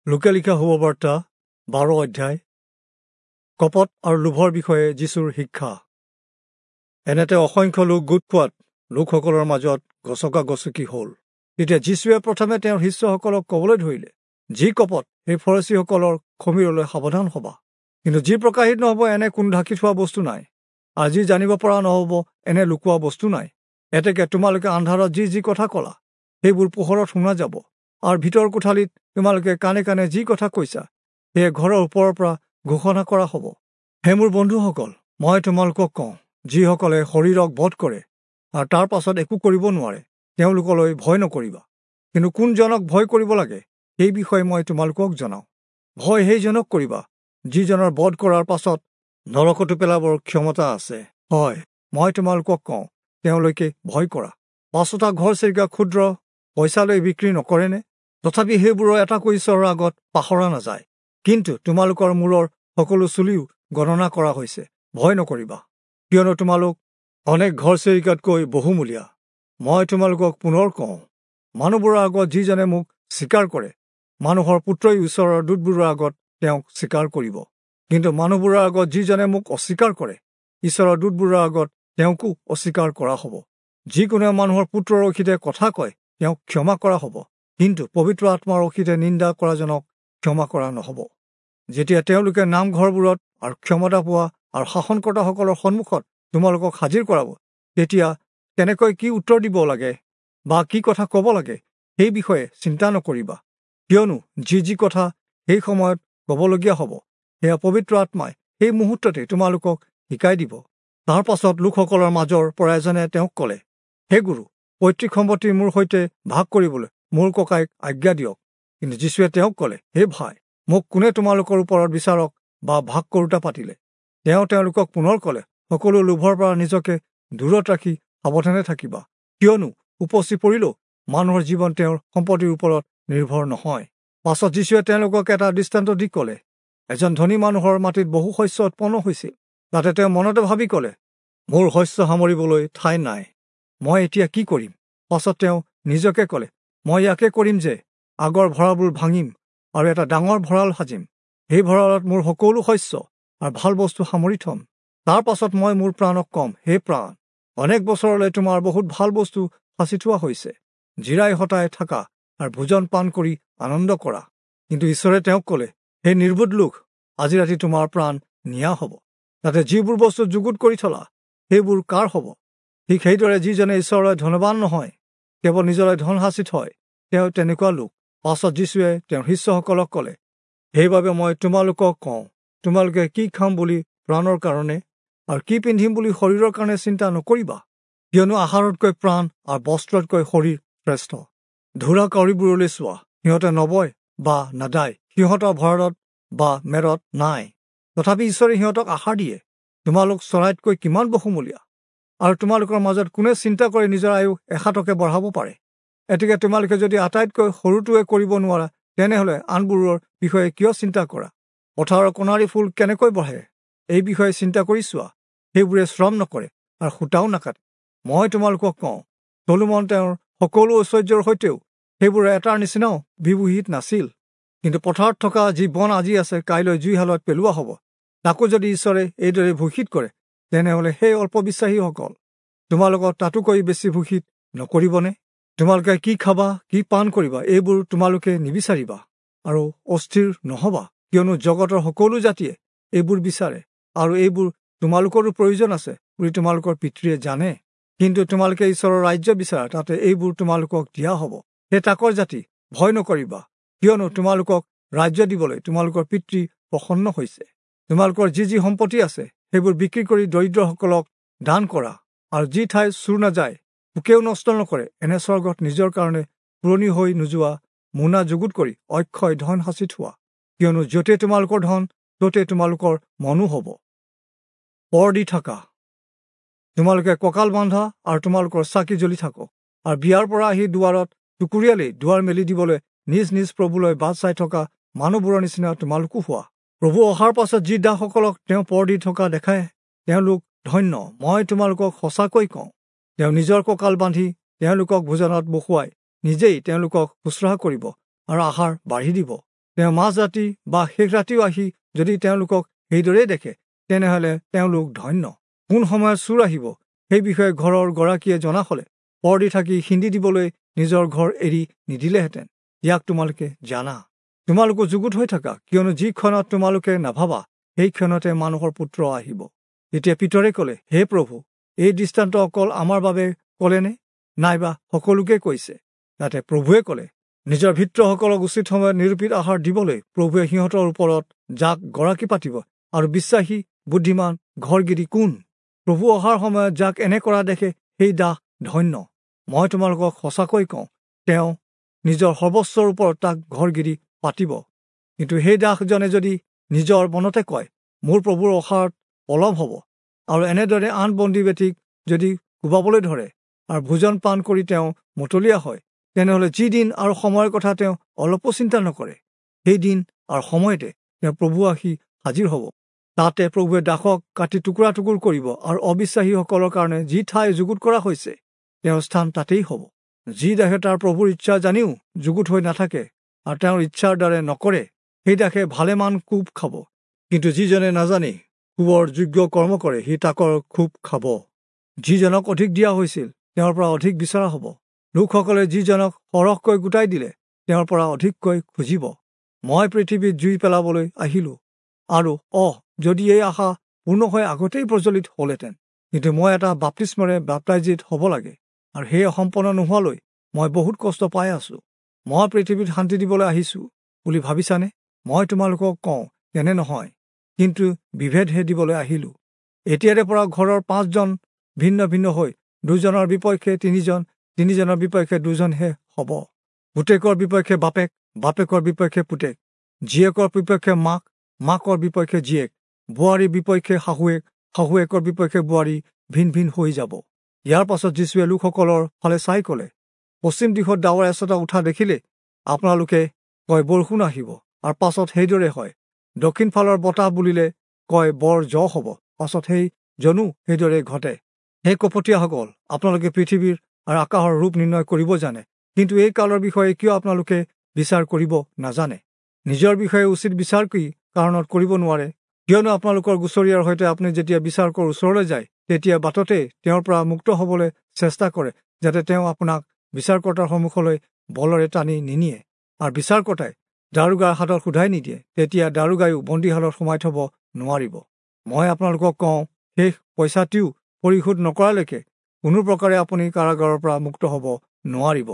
লোকে লিখা শুভবাৰ্তা 12 অধ্যায়। কপট আৰু লোভৰ বিষয়ে যীশুৰ শিক্ষা। এনেতে অসংখ্য লোক গোট খোৱাত লোকসকলৰ মাজত গছকা গছকি হ'ল। তেতিয়া যীশুৱে প্ৰথমে তেওঁৰ শিষ্যসকলক ক'বলৈ ধৰিলে, যি কপট সেই ফৰচীসকলৰ খমিৰলৈ সাৱধান হবা। কিন্তু যি প্ৰকাশিত নহ'ব এনে কোনো ঢাকি থোৱা বস্তু নাই, আৰু যি জানিব পৰা নহ'ব এনে লুকোৱা বস্তু নাই। এতেকে তোমালোকে আন্ধাৰত যি যি কথা ক'লা সেইবোৰ পোহৰত শুনা যাব, আৰু ভিতৰ কোঠালিত তোমালোকে কাণে কাণে যি কথা কৈছা সেয়ে ঘৰৰ ওপৰৰ পৰা ঘোষণা কৰা হ'ব। হে মোৰ বন্ধুসকল, মই তোমালোকক কওঁ, যিসকলে শৰীৰক বধ কৰে আৰু তাৰ পাছত একো কৰিব নোৱাৰে, তেওঁলোকলৈ ভয় নকৰিবা। কিন্তু কোনজনক ভয় কৰিব লাগে সেই বিষয়ে মই তোমালোকক জনাওঁ। ভয় সেইজনক কৰিবা যিজনৰ বধ কৰাৰ পাছত নৰকতো পেলাবৰ ক্ষমতা আছে। হয়, মই তোমালোকক কওঁ, তেওঁলোকে ভয় কৰা। 5টা ঘৰচিৰিকা ক্ষুদ্ৰ পইচালৈ বিক্ৰী নকৰেনে? তথাপি সেইবোৰৰ এটাকো ঈশ্বৰৰ আগত পাহৰা নাযায়। কিন্তু তোমালোকৰ মূৰৰ সকলো চুলিও গণনা কৰা হৈছে। ভয় নকৰিবা, কিয়নো তোমালোক অনেক ঘৰচিৰিকাতকৈ বহুমূলীয়া। মই তোমালোকক পুনৰ কওঁ, মানুহবোৰৰ আগত যিজনে মোক স্বীকাৰ কৰে, মানুহৰ পুত্ৰই ঈশ্বৰৰ দূতবোৰৰ আগত তেওঁক স্বীকাৰ কৰিব। কিন্তু মানুহবোৰৰ আগত যিজনে মোক অস্বীকাৰ কৰে, ঈশ্বৰৰ দূতবোৰৰ আগত তেওঁকো অস্বীকাৰ কৰা হ'ব। যিকোনোৱে মানুহৰ পুত্ৰৰ অহিতে কথা কয়, তেওঁক ক্ষমা কৰা হ'ব, কিন্তু পবিত্ৰ আত্মাৰ অহিতে নিন্দা কৰাজনক ক্ষমা কৰা নহ'ব। যেতিয়া তেওঁলোকে নামঘৰবোৰত আৰু ক্ষমতা পোৱা আৰু শাসনকৰ্তাসকলৰ সন্মুখত তোমালোকক হাজিৰ কৰাব, তেতিয়া কেনেকৈ কি উত্তৰ দিব লাগে বা কি কথা ক'ব লাগে সেই বিষয়ে চিন্তা নকৰিবা। কিয়নো যি যি কথা সেই সময়ত ক'বলগীয়া হ'ব, সেয়া পবিত্ৰ আত্মাই সেই মুহূৰ্ততে তোমালোকক শিকাই দিব। তাৰ পাছত লোকসকলৰ মাজৰ পৰা এজনে তেওঁক ক'লে, হে গুৰু, পৈতৃক সম্পত্তি মোৰ সৈতে ভাগ কৰিবলৈ মোৰ ককাইক আজ্ঞা দিয়ক। কিন্তু যীশুৱে তেওঁক ক'লে, হে ভাই, মোক কোনে তোমালোকৰ ওপৰত বিচাৰক বা ভাগ কৰোঁতা পাতিলে? তেওঁ তেওঁলোকক পুনৰ ক'লে, সকলো লোভৰ পৰা নিজকে দূৰত ৰাখি সাৱধানে থাকিবা, কিয়নো উপচি পৰিলেও মানুহৰ জীৱন তেওঁৰ সম্পত্তিৰ ওপৰত নিৰ্ভৰ নহয়। পাছত যীশুৱে তেওঁলোকক এটা দৃষ্টান্ত দি ক'লে, এজন ধনী মানুহৰ মাটিত বহু শস্য উৎপন্ন হৈছিল। তাতে তেওঁ মনতে ভাবি ক'লে, মোৰ শস্য সামৰিবলৈ ঠাই নাই, মই এতিয়া কি কৰিম? পাছত তেওঁ নিজকে ক'লে, মই ইয়াকে কৰিম যে আগৰ ভঁৰালবোৰ ভাঙিম আৰু এটা ডাঙৰ ভঁৰাল সাজিম। সেই ভঁৰালত মোৰ সকলো শস্য আৰু ভাল বস্তু সামৰি থ'ম। তাৰ পাছত মই মোৰ প্ৰাণক ক'ম, হে প্ৰাণ, অনেক বছৰলৈ তোমাৰ বহুত ভাল বস্তু সাঁচি থোৱা হৈছে, জিৰাই হতাই থাকা আৰু ভোজন পান কৰি আনন্দ কৰা। কিন্তু ঈশ্বৰে তেওঁক ক'লে, হে নিৰ্বোধ লোক, আজি ৰাতি তোমাৰ প্ৰাণ নিয়া হ'ব। তাতে যিবোৰ বস্তু যুগুত কৰি থলা সেইবোৰ কাৰ হ'ব? ঠিক সেইদৰে যিজনে ঈশ্বৰলৈ ধনবান নহয়, কেৱল নিজলৈ ধন সাঁচি থয়, তেওঁ তেনেকুৱা লোক। পাছত যীশুৱে তেওঁৰ শিষ্যসকলক ক'লে, সেইবাবে মই তোমালোকক কওঁ, তোমালোকে কি খাম বুলি প্ৰাণৰ কাৰণে আৰু কি পিন্ধিম বুলি শৰীৰৰ কাৰণে চিন্তা নকৰিবা। কিয়নো আহাৰতকৈ প্ৰাণ আৰু বস্ত্ৰতকৈ শৰীৰ শ্ৰেষ্ঠ। ধূৰা কাউৰীবোৰলৈ চোৱা, সিহঁতে নবয় বা নাদায়, সিহঁতৰ ভঁৰালত বা মেৰত নাই, তথাপি ঈশ্বৰে সিহঁতক আহাৰ দিয়ে। তোমালোক চৰাইতকৈ কিমান বহুমূলীয়া! আৰু তোমালোকৰ মাজত কোনে চিন্তা কৰি নিজৰ আয়ুস এহাতকে বঢ়াব পাৰে? এতেকে তোমালোকে যদি আটাইতকৈ সৰুটোৱে কৰিব নোৱাৰা, তেনেহ'লে আনবোৰৰ বিষয়ে কিয় চিন্তা কৰা? পথাৰৰ কণাৰী ফুল কেনেকৈ বঢ়ে এই বিষয়ে চিন্তা কৰি চোৱা। সেইবোৰে শ্ৰম নকৰে আৰু সূতাও নাকাটে। মই তোমালোকক কওঁ, চলোমন তেওঁৰ সকলো ঐশ্বৰ্যৰ সৈতেও সেইবোৰৰ এটাৰ নিচিনাও বিভূষিত নাছিল। কিন্তু পথাৰত থকা যি বন আজি আছে, কাইলৈ জুইশালত পেলোৱা হ'ব, তাকো যদি ঈশ্বৰে এইদৰে ভূষিত কৰে, তেনেহ'লে সেই অল্পবিশ্বাসীসকল তোমালোকক তাতোকৈ বেছি ভূষিত নকৰিবনে? তোমালোকে কি খাবা, কি পান কৰিবা, এইবোৰ তোমালোকে নিবিচাৰিবা আৰু অস্থিৰ নহবা, কিয়নো জগতৰ সকলো জাতিয়ে এইবোৰ বিচাৰে আৰু এইবোৰ তোমালোকৰো প্ৰয়োজন আছে বুলি তোমালোকৰ পিতৃয়ে জানে। কিন্তু তোমালোকে ঈশ্বৰৰ ৰাজ্য বিচাৰা, তাতে এইবোৰ তোমালোকক দিয়া হ'ব। হে তাকৰ জাতি, ভয় নকৰিবা, কিয়নো তোমালোকক ৰাজ্য দিবলৈ তোমালোকৰ পিতৃ প্ৰসন্ন হৈছে। তোমালোকৰ যি যি সম্পত্তি আছে সেইবোৰ বিক্ৰী কৰি দৰিদ্ৰসকলক দান কৰা, আৰু যি ঠাই চুৰ নাযায়, পোকেও নষ্ট নকৰে, এনে স্বৰ্গত নিজৰ কাৰণে পুৰণি হৈ নোযোৱা মোনা যুগুত কৰি অক্ষয় ধন সাঁচি থোৱা। কিয়নো য'তে তোমালোকৰ ধন, ত'তে তোমালোকৰ মনো হ'ব। পৰ দি থাকা, তোমালোকে কঁকাল বান্ধা আৰু তোমালোকৰ চাকি জ্বলি থাকক, আৰু বিয়াৰ পৰা আহি দুৱাৰত টুকুৰিয়ালেই দুৱাৰ মেলি দিবলৈ নিজ নিজ প্ৰভুলৈ বাট চাই থকা মানুহবোৰৰ নিচিনা তোমালোকো হোৱা। প্ৰভু অহাৰ পাছত যি দাসসকলক তেওঁ পৰ দি থকা দেখায়, তেওঁলোক ধন্য। মই তোমালোকক সঁচাকৈ কওঁ, তেওঁ নিজৰ কঁকাল বান্ধি তেওঁলোকক ভোজনত বহুৱাই নিজেই তেওঁলোকক শুশ্ৰূষা কৰিব আৰু আহাৰ বাঢ়ি দিব। তেওঁ মাজৰাতি বা শেষ ৰাতিও আহি যদি তেওঁলোকক সেইদৰেই দেখে, তেনেহ'লে তেওঁলোক ধন্য। কোন সময়ত চোৰ আহিব সেই বিষয়ে ঘৰৰ গৰাকীয়ে জনা হ'লে পৰ দি থাকি সিন্ধি দিবলৈ নিজৰ ঘৰ এৰি নিদিলেহেঁতেন। ইয়াক তোমালোকে জানা। তোমালোকো যুগুত হৈ থাকা, কিয়নো যি ক্ষণত তোমালোকে নাভাবা সেই ক্ষণতে মানুহৰ পুত্ৰ আহিব। তেতিয়া পিতৰে ক'লে, হে প্ৰভু, এই দৃষ্টান্ত অকল আমাৰ বাবে ক'লেনে, নাইবা সকলোকে কৈছে? তাতে প্ৰভুৱে ক'লে, নিজৰ ভৃত্যসকলক উচিত সময়ত নিৰূপিত আহাৰ দিবলৈ প্ৰভুৱে সিহঁতৰ ওপৰত যাক গৰাকী পাতিব, আৰু বিশ্বাসী বুদ্ধিমান ঘৰগিৰি কোন? প্ৰভু অহাৰ সময়ত যাক এনে কৰা দেখে সেই দাস ধন্য। মই তোমালোকক সঁচাকৈ কওঁ, তেওঁ নিজৰ সৰ্বস্বৰ ওপৰত তাক ঘৰগিৰি পাতিব। কিন্তু সেই দাসজনে যদি নিজৰ মনতে কয়, মোৰ প্ৰভুৰ অহাৰত পলম হ'ব, আৰু এনেদৰে আন বন্দী বেটীক যদি কোবাবলৈ ধৰে আৰু ভোজন পান কৰি তেওঁ মতলীয়া হয়, তেনেহ'লে যি দিন আৰু সময়ৰ কথা তেওঁ অলপো চিন্তা নকৰে, সেই দিন আৰু সময়তে তেওঁ প্ৰভু আহি হাজিৰ হ'ব। তাতে প্ৰভুৱে দাসক কাটি টুকুৰা টুকুৰ কৰিব, আৰু অবিশ্বাসীসকলৰ কাৰণে যি ঠাই যুগুত কৰা হৈছে তেওঁৰ স্থান তাতেই হ'ব। যি দাসে তাৰ প্ৰভুৰ ইচ্ছা জানিও যুগুত হৈ নাথাকে আৰু তেওঁৰ ইচ্ছাৰ দ্বাৰে নকৰে, সেই দাসে ভালেমান কোব খাব। কিন্তু যিজনে নাজানি কোবৰ যোগ্য কৰ্ম কৰে, সি তাকৰ কোব খাব। যিজনক অধিক দিয়া হৈছিল তেওঁৰ পৰা অধিক বিচৰা হ'ব। লোকসকলে যিজনক সৰহকৈ গোটাই দিলে তেওঁৰ পৰা অধিককৈ খুজিব। মই পৃথিৱীত জুই পেলাবলৈ আহিলোঁ, আৰু যদি এই আশা পূৰ্ণ হৈ আগতেই প্ৰজ্বলিত হ'লহেঁতেন। কিন্তু মই এটা বাপ্তিস্মৰে বাপ্তাইজিত হ'ব লাগে, আৰু সেই সম্পন্ন নোহোৱালৈ মই বহুত কষ্ট পাই আছোঁ। মই পৃথিৱীত শান্তি দিবলৈ আহিছোঁ বুলি ভাবিছানে? মই তোমালোকক কওঁ, তেনে নহয়, কিন্তু বিভেদহে দিবলৈ আহিলোঁ। এতিয়াৰে পৰা ঘৰৰ 5জন ভিন্ন ভিন্ন হৈ 2জনৰ বিপক্ষে 3জন, 3জনৰ বিপক্ষে 2জনহে হ'ব। পুতেকৰ বিপক্ষে বাপেক, বাপেকৰ বিপক্ষে পুতেক, জীয়েকৰ বিপক্ষে মাক, মাকৰ বিপক্ষে জীয়েক, বোৱাৰীৰ বিপক্ষে শাহুৱেক, শাহুৱেকৰ বিপক্ষে বোৱাৰী ভিন ভিন হৈ যাব। ইয়াৰ পাছত যীশুৱে লোকসকলৰ ফালে চাই ক'লে, পশ্চিম দিশত ডাৱৰ এচটা উঠা দেখিলে আপোনালোকে কয় বৰষুণ আহিব, আৰু পাছত সেইদৰে হয়। দক্ষিণ ফালৰ বতাহ বুলিলে কয় বৰ জ হ'ব, পাছত সেই জনো সেইদৰে ঘটে। হে কপটীয়াসকল, আপোনালোকে পৃথিৱীৰ আৰু আকাশৰ ৰূপ নিৰ্ণয় কৰিব জানে, কিন্তু এই কালৰ বিষয়ে কিয় আপোনালোকে বিচাৰ কৰিব নাজানে? নিজৰ বিষয়ে উচিত বিচাৰ কি কাৰণত কৰিব নোৱাৰে? কিয়নো আপোনালোকৰ গুচৰীয়াৰ সৈতে আপুনি যেতিয়া বিচাৰকৰ ওচৰলৈ যায়, তেতিয়া বাটতে তেওঁৰ পৰা মুক্ত হ'বলৈ চেষ্টা কৰে, যাতে তেওঁ আপোনাক বিচাৰকৰ্তাৰ সন্মুখলৈ বলৰে টানি নিনিয়ে, আৰু বিচাৰকৰ্তাই দাৰোগাৰ হাতত সোধাই নিদিয়ে, তেতিয়া দাৰোগায়ো বন্দীশালত সোমাই থ'ব নোৱাৰিব। মই আপোনালোকক কওঁ, শেষ পইচাটিও পৰিশোধ নকৰালৈকে কোনো প্ৰকাৰে আপুনি কাৰাগাৰৰ পৰা মুক্ত হ'ব নোৱাৰিব।